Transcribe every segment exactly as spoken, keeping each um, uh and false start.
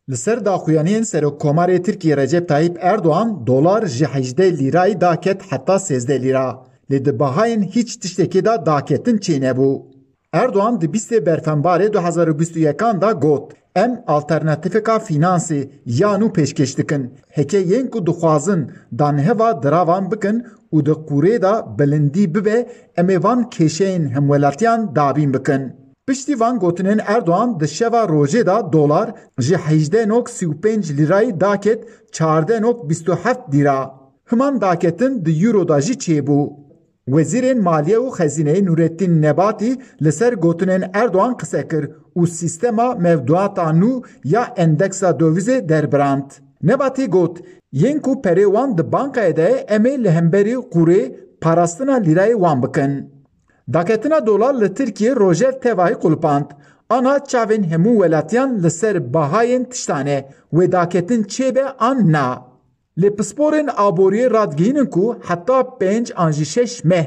Li ser daxuyaniyên Serokkomarê Tirkiyê Recep Tayyip Erdoğan dolar ji hejdeh lîrayî daket heta sêzdeh lîra. Lê di bahayên hîç tiştekê de daketin çênebû. Erdoğan di bîstê Berfenbarê du hezar û bîst û yekan de got, em alternatîfeka fînansê ya nû pêşkêş dikin. Heke yên ku dixwazin danheva diravan bikin û di qûrê de bilindî bibe, em ê van kêşeyên hemwelatiyan dabîn bikin. Piştî van gotinên Erdoğan di şeva rojê de dolar ji hejdeh nok sî û pênc lîrayî daket çardeh nok bîst û heft lîra. Himan daketin di euro de jî çêbû. Wezîrên Maliye û Xezîneyê Nurettin Nebati li ser gotinên Erdoğan qise kir û sîstema mevduata nû ya endeksa dovîzê derbirand. Nebati got, yên ku perê wan di bankayê de ye, em ê li hemberî qûrê parastina lîrayê wan bikin. Daketina dolar li Tirkiyê rojev tevahî qulipand. Ana çavên hemû welatiyan li ser bahayên tiştan e, wê daketin çêbe an na. Lê pisporên aboriyê radigihînin ku heta pênc an jî şeş meh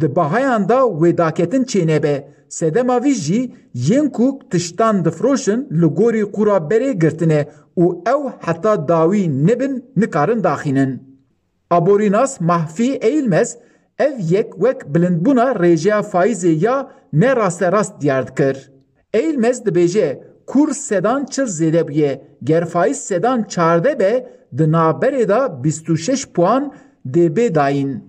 di bahayan de wê daketin çênebe. Sedema vî jî yên ku tiştan difiroşin li gorî qûra berê girtine û ew heta dawî nebin nikarin daxînin. Aborînas Mahfî Eilmes ev yek wek bilindbûna rêjeya faîzê ya ne rasterast diyar dikir. Eilmes dibêje, kur sedan çil zêde bûye, ger faîz sedan çardeh be, di navberê de bîst û şeş puan dê bê dayîn.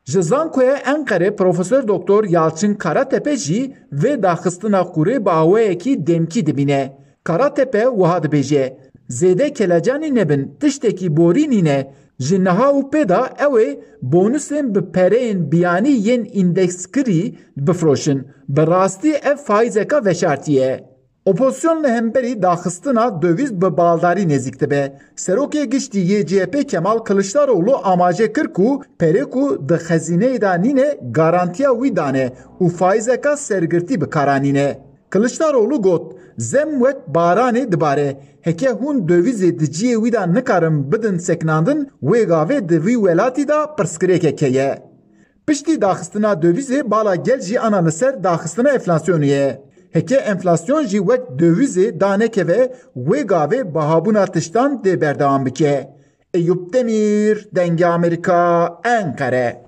Ji Zankoya Enqerê Profesor Doktor Yalçın Karatepe jî vê daxistina qûrê bi awayekî demkî dibîne. Karatepe wiha dibêje, zêde kelecanî nebin, tiştekî borî nîne. Ji niha û pê de ew ê bonusên bi pereyên biyanî yên îndeksgirî bifiroşin. Bi rastî ev faîzeka veşartî ye. Opozîsyon li hemberî daxistina döviz bi baldarî nêzîk dibe. Serokê Giştî yê C H P Kemal Kiliçdaroglu amaje kir ku perê ku di xezîneyê de nîne garantiya wî dane û faîzeka sergirtî bi kar anîne. Kiliçdaroglu got, zem wek baranê dibare. Heke hûn dövîzê di cihê wî de nikarin bidin sekinandin, wê gavê di vî welatî de pirsgirêkek heye. Piştî daxistina dövîzê bala gel jî ana li ser daxistina enflasyonê ye. Heke enflasyon jî wek dövîzê danekeve, wê gavê bihabûna tiştan dê berdewam bike. Eyûp Demîr, Dengê Amerîka, Enqere.